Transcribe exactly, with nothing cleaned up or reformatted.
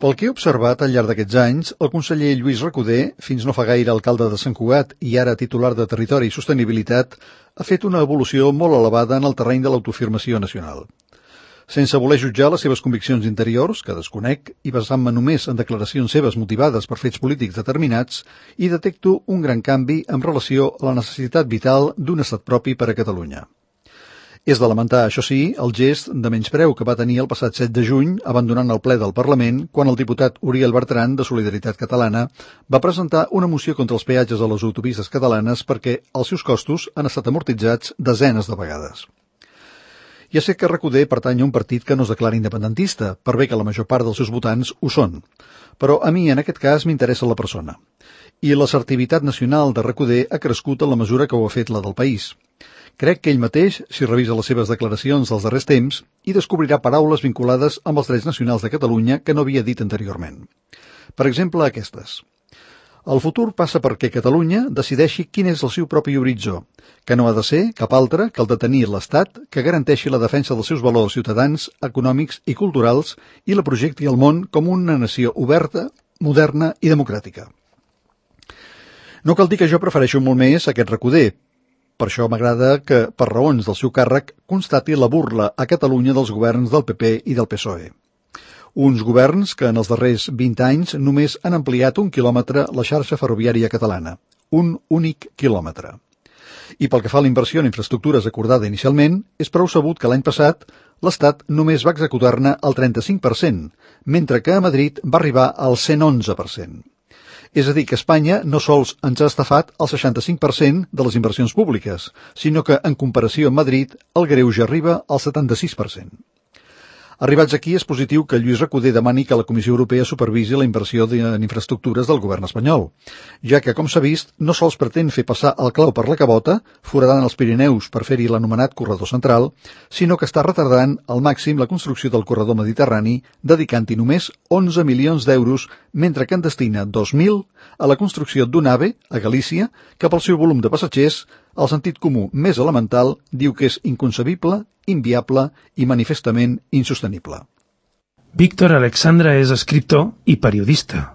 Pel que he observat al llarg d'aquests anys, el conseller Lluís Recoder, fins no fa gaire alcalde de Sant Cugat i ara titular de Territori i Sostenibilitat, ha fet una evolució molt elevada en el terreny de l'autofirmació nacional. Sense voler jutjar les seves conviccions interiors, que desconec, i basant-me només en declaracions seves motivades per fets polítics determinats, hi detecto un gran canvi en relació a la necessitat vital d'un estat propi per a Catalunya. És de lamentar, això sí, el gest de menyspreu que va tenir el passat set de juny, abandonant el ple del Parlament, quan el diputat Uriel Bertran, de Solidaritat Catalana, va presentar una moció contra els peatges a les autopistes catalanes perquè els seus costos han estat amortitzats desenes de vegades. Ja sé que Recoder pertany a un partit que no es declara independentista, per bé que la major part dels seus votants ho són. Però a mi, en aquest cas, m'interessa la persona. I l'assertivitat nacional de Recoder ha crescut en la mesura que ho ha fet la del país. Crec que ell mateix, si revisa les seves declaracions dels darrers temps, hi descobrirà paraules vinculades amb els drets nacionals de Catalunya que no havia dit anteriorment. Per exemple, aquestes. El futur passa perquè Catalunya decideixi quin és el seu propi horitzó, que no ha de ser cap altre que el de tenir l'Estat que garanteixi la defensa dels seus valors ciutadans, econòmics i culturals i la projecti al món com una nació oberta, moderna i democràtica. No cal dir que jo prefereixo molt més aquest Recoder. Per això m'agrada que, per raons del seu càrrec, constati la burla a Catalunya dels governs del P P i del P S O E. Uns governs que en els darrers vint anys només han ampliat un quilòmetre la xarxa ferroviària catalana. Un únic quilòmetre. I pel que fa a la inversió en infraestructures acordada inicialment, és prou sabut que l'any passat l'Estat només va executar-ne el trenta-cinc per cent, mentre que a Madrid va arribar al cent onze per cent. És a dir, que Espanya no sols ens ha estafat el seixanta-cinc per cent de les inversions públiques, sinó que, en comparació amb Madrid, el greuge arriba al setanta-sis per cent. Arribats aquí, és positiu que Lluís Recoder demani que la Comissió Europea supervisi la inversió en infraestructures del govern espanyol, ja que, com s'ha vist, no sols pretén fer passar el clau per la cabota, foradant els Pirineus per fer-hi l'anomenat corredor central, sinó que està retardant al màxim la construcció del corredor mediterrani, dedicant-hi només onze milions d'euros, mentre que en destina dos mil a la construcció d'un AVE, a Galícia, que pel seu volum de passatgers, el sentit comú més elemental diu que és inconcebible, inviable i manifestament insostenible. Víctor Alexandra és escriptor i periodista.